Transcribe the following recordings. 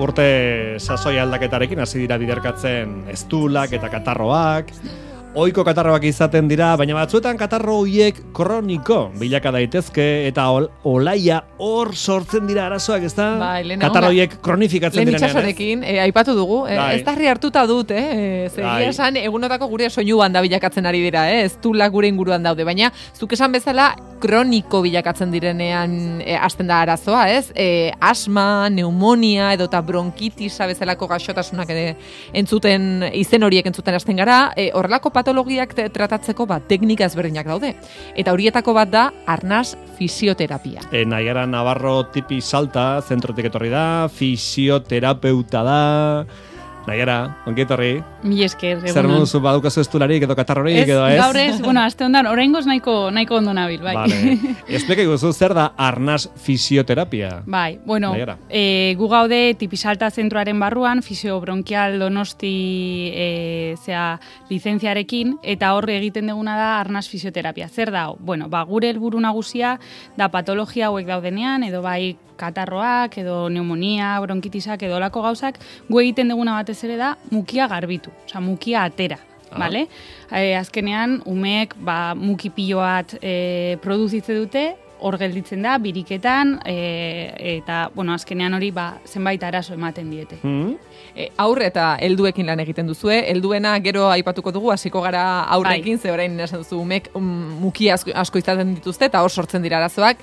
urte sasoi aldaketarekin hasi dira biderkatzen eztulak eta katarroak. Ohiko katarroak izaten dira, baina batzuetan katarro horiek kroniko bilaka daitezke eta olaia hor sortzen dira arazoak, ezta? Bai, katarro horiek kronifikatzen direnean. Lehen itxasorekin, aipatu dugu, ez darri hartuta dut, zegia esan egunotako gure soinuan da bilakatzen ari dira, ez tulak gure inguruan daude, baina zuk esan bezala kroniko bilakatzen direnean hasten da arazoa, ez? Asma, pneumonia edota bronkitisa bezalako gaixotasunak entzuten, izen horiek entzuten hasten gara, horrelako patologiak tratatzeko teknika ezberdinak daude. Eta horietako bat da arnas fisioterapia. Naiara Navarro tipi salta, zentrotik etorri da, fisioterapeuta da. Naiara, ongi etorri. Mi esker, egunon. Zer moduzu badukazu estularik edo katarrorik edo ez? Gaur ez, bueno, aste ondan, oraingoz nahiko ondo nabil, bai. Vale. Esplika iguzu, zer da arnas fisioterapia? Bai, bueno, gu gaude tipisalta zentroaren barruan, fisiobronkial donosti lizentziarekin, eta hor egiten duguna da arnas fisioterapia. Zer da? Bueno, gure helburu nagusia da patologia hauek daudenean, edo bai katarroak, edo pneumonia, bronkitisak, edo olako gauzak, gu egiten duguna batez ere da mukia garbitu, osea, mukia atera. Vale? Azkenean, umeek muki pilo bat produzitze dute, hor gelditzen da, biriketan, eta, bueno, azkenean hori zenbait arazo ematen diete. Aurre eta helduekin lan egiten duzue, helduena gero aipatuko dugu, hasiko gara aurrekin, ze orain esan duzu umek muki asko izaten dituzte, eta hor sortzen dira arazoak,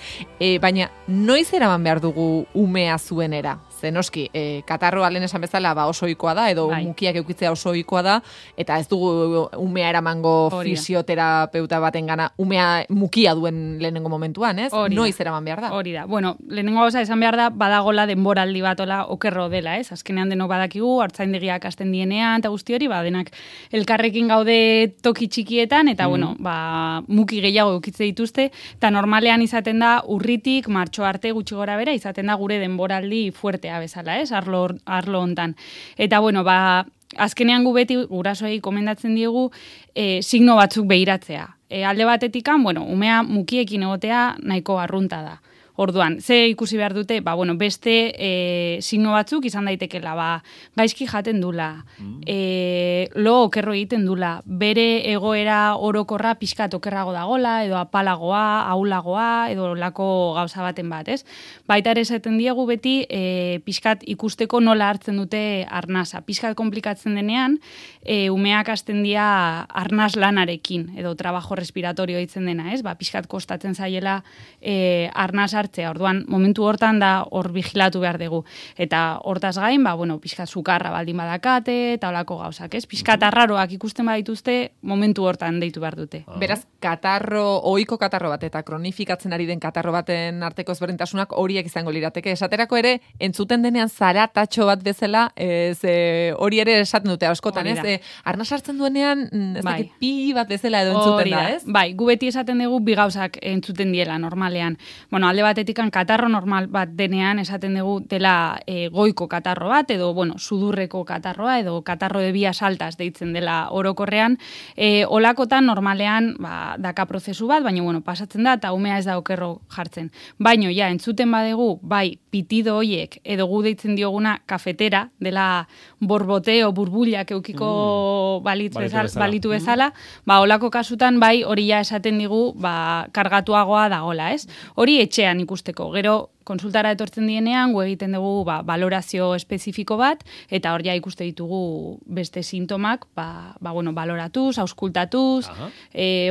baina noiz eraman behar dugu umea zuenera? Ze noski, katarroa lehen esan bezala oso ohikoa da, edo mukiak eukitzea oso ohikoa da, eta ez dugu umea eramango fisioterapeuta baten gana, umea mukia duen lehenengo momentuan, ez? Noiz eraman behar da? Hori da. Bueno, lehenengo gauza esan behar da, badagola denboraldi batola okerro dela, ez? Azkenean denok badakigu, hartzaindegiak hasten dienean, eta guzti hori, denak elkarrekin gaude toki txikietan, eta bueno, muki gehiago eukitze dituzte, eta normalean izaten da urritik, martxo arte gutxi gora bera, izaten da gure denboraldi fuerte bezala, ez, arlo hontan. Eta, bueno, azkenean gu beti gurasoei komendatzen diegu signo batzuk behiratzea. Alde batetikan, bueno, umea mukiekin egotea nahiko arrunta da. Orduan, ze ikusi behar dute, beste signo batzuk izan daitekela, gaizki jaten dula, lo okerro egiten dula, bere egoera orokorra pixkat okerrago dagola, edo apalagoa, ahulagoa, edo lako gauza baten bat, ez? Baita ere esaten diegu beti pixkat ikusteko nola hartzen dute arnasa. Pixkat komplikatzen denean, umeak hasten dira arnas lanarekin, edo trabajo respiratorio ditzen dena, ez? Pixkat kostatzen zaiela arnas hartzea. Orduan, momentu hortan da hor vigilatu behar dugu. Eta hortaz gain, pixkat sukarra baldin badakate, eta olako gauzak, ez? Pixkat arraroak ikusten badituzte, momentu hortan deitu behar dute. Beraz, ohiko katarro bat eta kronifikatzen ari den katarro baten arteko ezberdintasunak horiek izango lirateke. Esaterako ere, entzuten denean zaratatxo bat bezala, hori ere esaten dute askotan, ez? Arnas hartzen duenean, ez dakit pi bat bezala edo entzuten da, ez? Bai, gu beti esaten dugu bi gauzak entzuten diela normalean. Bueno, alde batetikan katarro normal bat denean esaten dugu dela goiko katarro bat, edo, sudurreko katarroa, edo katarro de vías altas deitzen dela orokorrean. Olakotan normalean daka prozesu bat, baina, pasatzen da, eta umea ez da okerro jartzen. Baina, entzuten badegu, pitido hoiek, edo gu deitzen dioguna kafetera, dela borboteo, burbuliak eukiko balitu bezala, olako kasutan, hori esaten digu, kargatuagoa dagola, ez? Hori etxean ikusteko. Gero, konsultara etortzen dienean, gu egiten dugu balorazio espezifiko bat, eta hor ikuste ditugu beste sintomak, baloratuz, auskultatuz,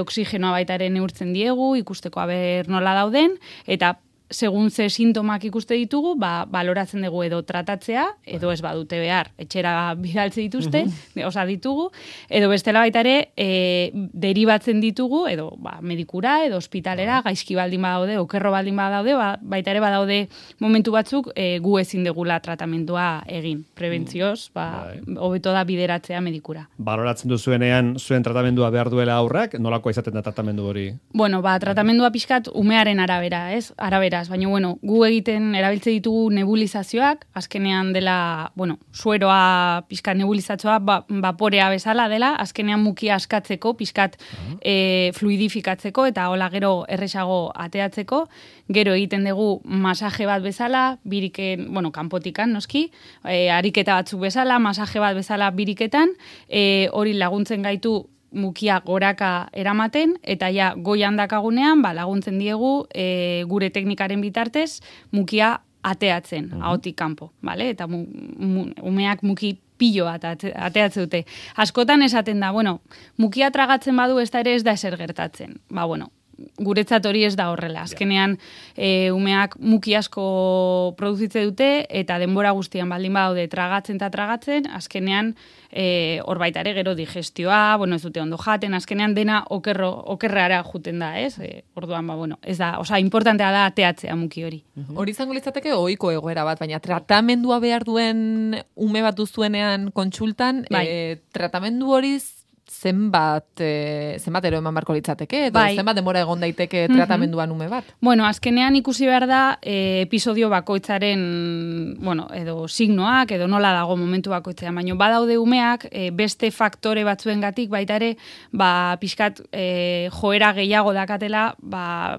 oksigenoa baitaren neurtzen diegu, ikusteko nola dauden, eta segun ze sintomak ikuste ditugu, baloratzen dugu edo tratatzea, edo ez badute behar, etxera bidaltze dituzte, ditugu, edo bestela baita ere, deribatzen ditugu, edo medikura, edo ospitalera, gaizki baldin badaude, okerro baldin badaude, baita ere badaude momentu batzuk gu ezin degula tratamendua egin. Prebentzioz, hobeto da bideratzea medikura. Baloratzen duzuenean, zuen tratamendua behar duela aurrak, nolakoa izaten da tratamendu hori? Bueno, tratamendua pixkat umearen arabera, ez? Arabera, beraz, baina bueno, gu egiten erabiltze ditugu nebulizazioak, azkenean dela, sueroa pixkat nebulizatzoa vaporea bezala dela, azkenean mukia askatzeko, pixkat fluidifikatzeko eta hola gero erresago ateatzeko, gero egiten dugu masaje bat bezala, biriken, kanpotikan noski, ariketa batzuk bezala, masaje bat bezala biriketan, hori laguntzen gaitu mukia goraka eramaten, eta ja goian dakagunean, laguntzen diegu gure teknikaren bitartez mukia ateatzen, ahotik kanpo, vale? Eta umeak muki pilo bat ateatze dute. Askotan esaten da, mukia tragatzen badu ez da ere ez da ezer gertatzen. Guretzat hori ez da horrela. Azkenean, umeak muki asko produzitze dute, eta denbora guztian baldin badaude tragatzen, azkenean, hor baita ere gero digestioa, ez dute ondo jaten, azkenean dena okerrara juten da, ez? Orduan, ez da, importantea da ateatzea muki hori. Hori izango litzateke ohiko egoera bat, baina tratamendua behar duen ume bat duzuenean kontsultan, tratamendu hori zenbat ero eman barko litzateke, edo zenbat demora egon daiteke tratamenduan ume bat? Azkenean ikusi behar da episodio bakoitzaren, edo signoak, edo nola dago momentu bakoitzean, baina badaude umeak beste faktore batzuengatik baita ere, pixkat joera gehiago dakatela,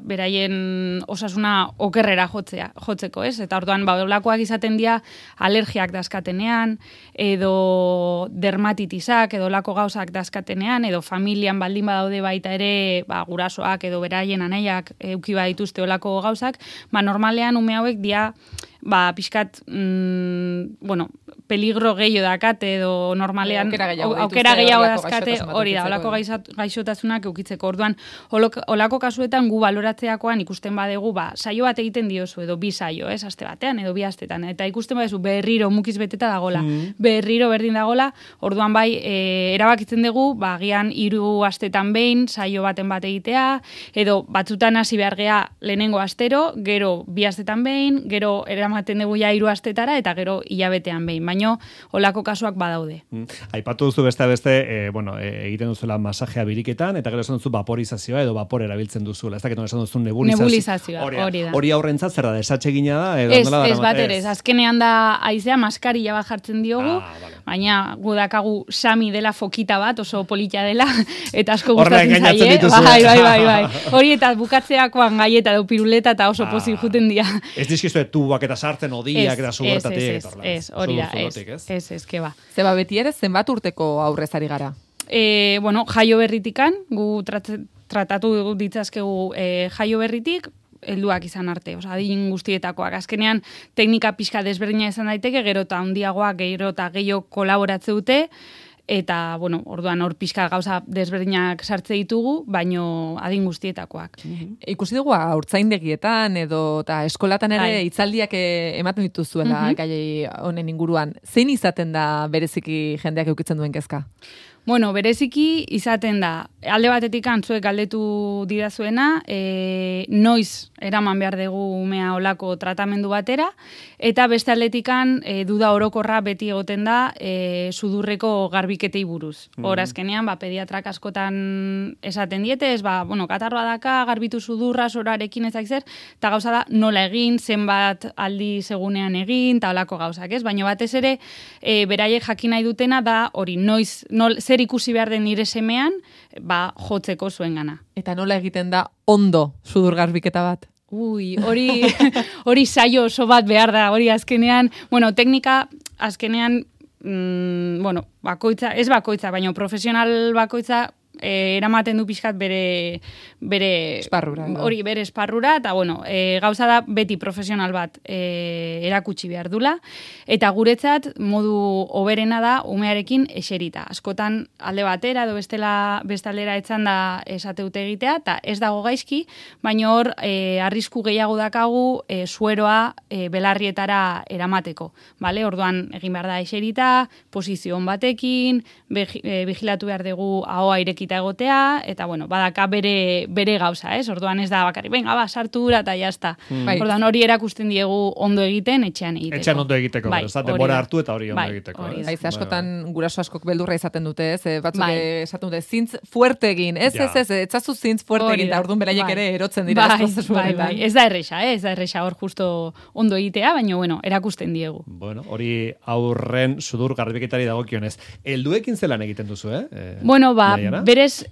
beraien osasuna okerrera jotzeko, ez? Eta orduan, olakoak izaten dira alergiak dazkatenean, edo dermatitisak, edo olako gauzak dazkatenean, edo familian baldin badaude baita ere gurasoak edo beraien anaiak euki badituzte olako gauzak, normalean ume hauek dia pixkat, peligro gehiago dakate edo normalean aukera gehiago dazkate, hori da, olako gaixotasunak eukitzeko. Orduan, olako kasuetan gu baloratzeakoan ikusten badegu, saio bat egiten diozu, edo bi saio, aste batean, edo bi astetan, eta ikusten badezu berriro mukiz beteta dagola, berriro berdin dagola, orduan erabakitzen dugu, agian 3 astetan behin, saio baten bat egitea, edo batzutan hasi behar gea lehenengo astero, gero 2 astetan behin, gero eramaten dugu 3 astetara, eta gero hilabetean behin, baino olako kasuak badaude. Aipatu duzu beste, egiten duzula masajea biriketan, eta gero esan duzu vaporizazioa edo vapor erabiltzen duzula. Ez dakit esan duzu nebulizazioa. Hori da. Hori aurrentzat zer da, desatsegina da? Ez bat ere, azkenean da haizea maskarilla bat jartzen diogu, baina gudakagu Sami dela fokita bat, oso polita dela, eta asko gustatzen zaie. Bai. Hori eta bukatzeakoan gaieta edo piruleta eta oso pozik juten dira. Ez dizkizu tubak eta sartzen odiak eta zubertatik. Ez, hori da, ez, keba. Zeba beti ere, zenbat urteko aurrezari gara? Jaio berritikan, gu tratatu ditzazkegu jaio berritik, helduak izan arte, adin guztietakoak. Azkenean, teknika pixka desberdina izan daiteke, gero eta handiagoa, gero eta gehiago kolaboratze dute, eta, orduan hor pixka gauza desberdinak sartze ditugu, baino adin guztietakoak. Ikusi dugu haurtzaindegietan edo eta eskolatan ere hitzaldiak ematen dituzuela gai honen inguruan. Zein izaten da bereziki jendeak eukitzen duen kezka? Bereziki izaten da, alde batetik antzuek galdetu didazuena, noiz eraman behar dugu umea olako tratamendu batera, eta beste aldetikan duda orokorra beti egoten da sudurreko garbiketei buruz. Hor azkenean, pediatrak askotan esaten diete, katarroa daka, garbitu sudurra, sorarekin ezak zer, eta gauza da nola egin, zenbat aldi segunean egin, eta olako gauzak, ez? Baina batez ere, beraiek jakin nahi dutena da, hori, zer ikusi behar den nire semean, jotzeko zuen gana. Eta nola egiten da ondo sudur garbiketa bat? Hori saio oso bat behar da, hori azkenean, teknika azkenean, bakoitza, ez bakoitza, baina profesional bakoitza, eramaten du pixkat bere esparrura. Hori, bere esparrura, eta gauza da beti profesional bat erakutsi behar dula, eta guretzat modu hoberena da umearekin eserita. Askotan alde batera edo bestaldera etzan da esateute egitea, eta ez dago gaizki, baina hor arrisku gehiago dakagu sueroa belarrietara eramateko. Orduan egin behar da eserita, posizio on batekin, vigilatu behar dugu ahoa irekita polita egotea, eta bueno, badaka bere gauza, orduan ez da bakarrik, venga, sartu dura eta jazta. Orduan hori erakusten diegu ondo egiten, etxean egiteko. Etxean ondo egiteko, denbora hartu eta hori ondo egiteko. Haize askotan guraso askok beldurra izaten dute, batzuk esaten dute, zintz fuerte egin, etzazu zintz fuerte egin, da orduan beraiek ere erotzen dira. Ez da erresa, hor justo ondo egitea, baina bueno, erakusten diegu. Bueno, hori aurren sudur garbiketari dagokionez. Helduekin zelan egiten duzu, Bueno, berez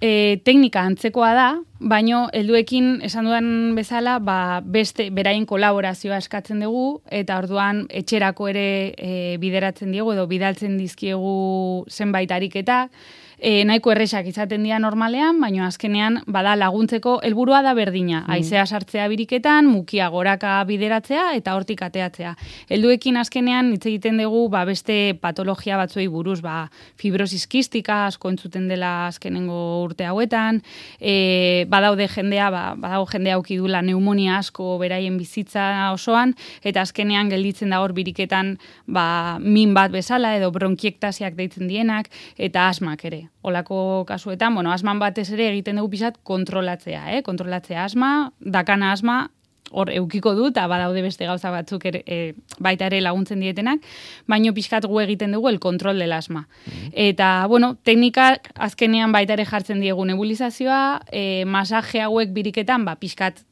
teknika antzekoa da, baino helduekin esan dudan bezala, beste beraien kolaborazioa eskatzen dugu, eta orduan etxerako ere bideratzen diegu, edo bidaltzen dizkiegu zenbait ariketak, nahiko erresak izaten dira normalean, baina azkenean bada laguntzeko helburua da berdina. Haizea sartzea biriketan, mukia goraka bideratzea eta hortik ateatzea. Helduekin azkenean hitz egiten dugu beste patologia batzuei buruz, fibrosis kistika asko entzuten dela azkenengo urte hauetan, badaude jendea, badago jendea aukidula pneumonia asko beraien bizitza osoan, eta azkenean gelditzen da hor biriketan min bat bezala edo bronkiektasiak deitzen dienak, eta asmak ere. Olako kasuetan, asman batez ere egiten dugu pixat kontrolatzea, kontrolatzea asma, dakana asma, hor eukiko du, eta badaude beste gauza batzuk baita ere laguntzen dietenak, baino pixkat gu egiten dugu el kontrol del asma. Eta, teknikak azkenean baita ere jartzen diegu nebulizazioa, masaje hauek biriketan, pixkat,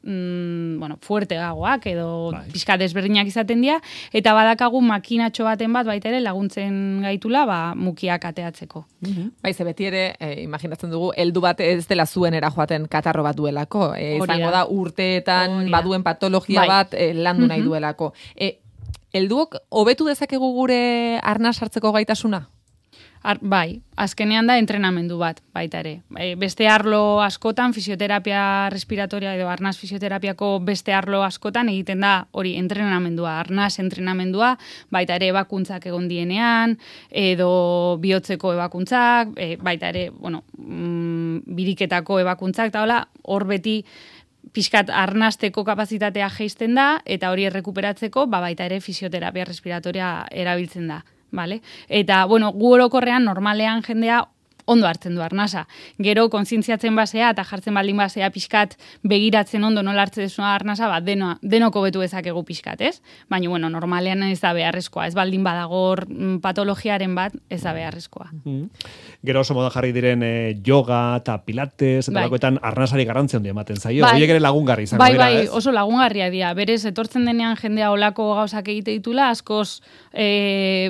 fuerte gagoak, edo pixkat desberdinak izaten dira, eta badakagu makinatxo baten bat baita ere laguntzen gaitula, mukiak ateatzeko. Baize, beti ere, imaginatzen dugu, heldu bat ez dela zuenera joaten katarro bat duelako. Izango da urteetan baduen patologia bat landu nahi duelako. Helduok hobetu dezakegu gure arnas hartzeko gaitasuna? Azkenean da entrenamendu bat, baita ere. Beste arlo askotan, fisioterapia respiratoria edo arnas fisioterapiako beste arlo askotan egiten da hori entrenamendua, arnas entrenamendua, baita ere ebakuntzak egon dienean, edo bihotzeko ebakuntzak, baita ere, biriketako ebakuntzak, eta hola, hor beti pixkat arnasteko kapazitatea jeisten da, eta hori errekuperatzeko, baita ere fisioterapia respiratoria erabiltzen da. Vale? Eta, gu orokorrean, normalean jendea ondo hartzen du arnasa. Gero, kontzientziatzen basea eta jartzen baldin basea pixkat begiratzen ondo nola hartzen desuna arnasa, denoko betu ezakegu pixkat, ez? Baina, normalean ez da beharrezkoa. Ez baldin badagor patologiaren bat, ez da beharrezkoa. Gero oso moda jarri diren yoga eta pilates, eta lakoetan arnasari garrantzia handia ematen zaio. Horiek ere lagungarri izango dira, ez? Oso lagungarria dira. Berez, etortzen denean jendea olako gauzak egite ditula, askoz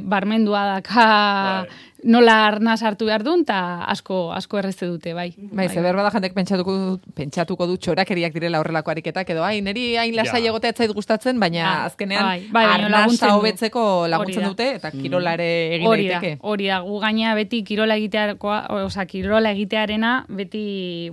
barmendua daka nola arnaz hartu behar duen, eta asko errezte dute, bai. Zeber bada jendek pentsatuko du txorakeriak direla horrelako ariketak, edo niri hain lasai egotea etzait gustatzen, baina azkenean arnasa hobetzeko laguntzen dute, eta kirolare egin daiteke. Hori da, gu gaina beti kirola egitearena, beti,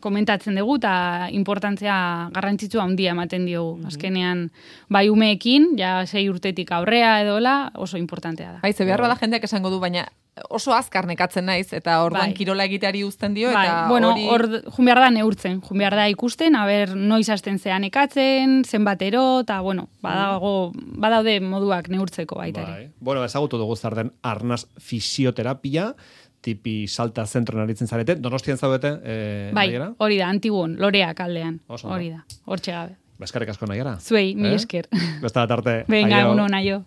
komentatzen dugu, eta importantzia garrantzitsua handia ematen diogu. Azkenean, bai umeekin, 6 urtetik aurrea edola, oso importantea da. Behar bada jendeak esango du, baina oso azkar nekatzen naiz, eta orduan kirola egiteari uzten dio, eta hori... Jun behar da neurtzen, jun behar da ikusten, noiz hasten zean nekatzen, zenbatero, eta badaude moduak neurtzeko baita ere. Ezagutu dugu zer den arnas fisioterapia, tipi salta zentro naritzen zarete, Donostian zaudete? Hori da, Antiguon, Loreak aldean, hori da, hortxe gabe. Eskerrik asko Naiara. Zuei, mi esker. Besta da tarte. Venga, uno, naio.